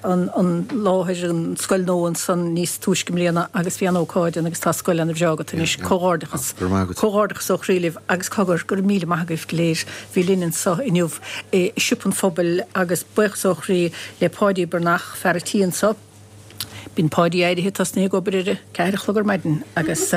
an an láthair, an scoil nua ansan níos túisce i mbliana agus bhí an-ócáid ann agus tá scoil ana-bhreá agat anois. Comhghairdeachas. Go raibh maith agat. Comhghairdeachas ó chroí libh agus cogar, go raibh míle maith agaibh go léir a bhí linn anso inniu i Siopa an Phobail agus buíochas ó chroí le Páidí Breathnach, fear a' tí anso. Bíonn Páidí éirithe tosnaithe ag obair ar a ceathair a chlog ar maidin agus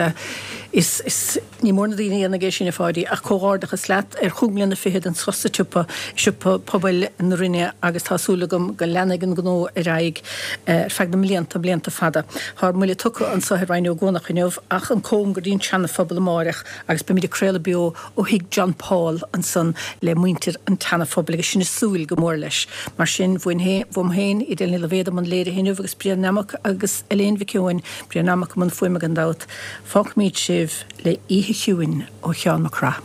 is, is, ní mór na daoine a dhéanfaidh é sin a Pháidí ach comhghairdeachas leat ar chúig mbliana fichead anso sa tsiopa, Siopa Pobail na Rinne agus tá súil agam go leanfaidh an gnó ar aghaidh ar feadh na mblianta, blianta fada. Tá ár mbuille tugtha anso i Rinn Ó gCuanach inniu ach an cóngar go dtí an tSeana-Phobal amáireach agus beimid ag craoladh beo ó thigh John Paul ansan le muintir an tSeana-Phobail agus sinn ag súil go mór leis. Mar sin, uaim féin, Edel Ní Loibhéad i mbun léirithe inniu agus Brian Nammock agus Elaine Mhic Eoin, Brian Nammock i mbun fuaime gan dabht, fágfaimid sibh le Oíche Chiúin ó Sheán Mac Craith.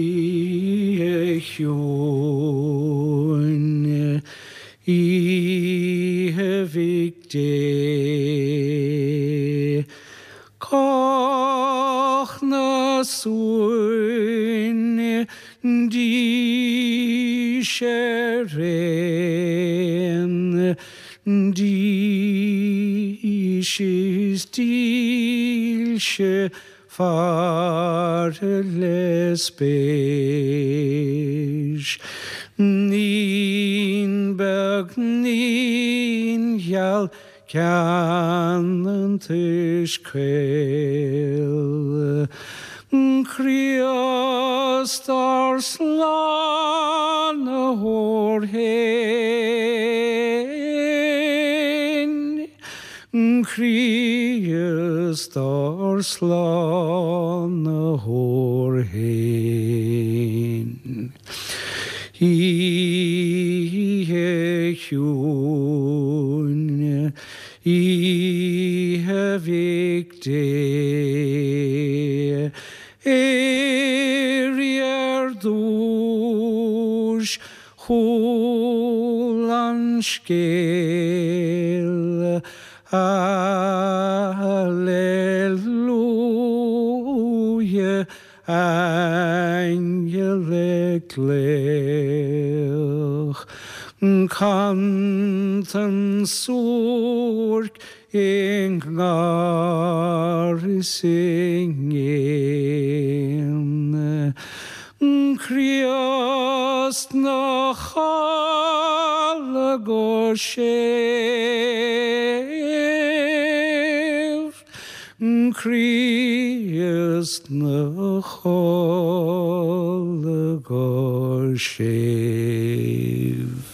Oíche chiúin, oíche Mhic Dé. Cách na suain dís ar aon dís is dílse faire le spéis. Naíon beag naíon gheal Ceann an tuis caol. Críost ár Slánaitheoir fhéin, Críost ár Slánaitheoir fhéin. Oíche chiúin, oíche Mhic Dé, Éirigh ar dtúis, chuala an scéal, Alleluia. Aingeal ag glaoch, Cantain suairc i ngar is i gcéin, Críost 'na chodladh go séimh. Críost 'na chodladh go séimh.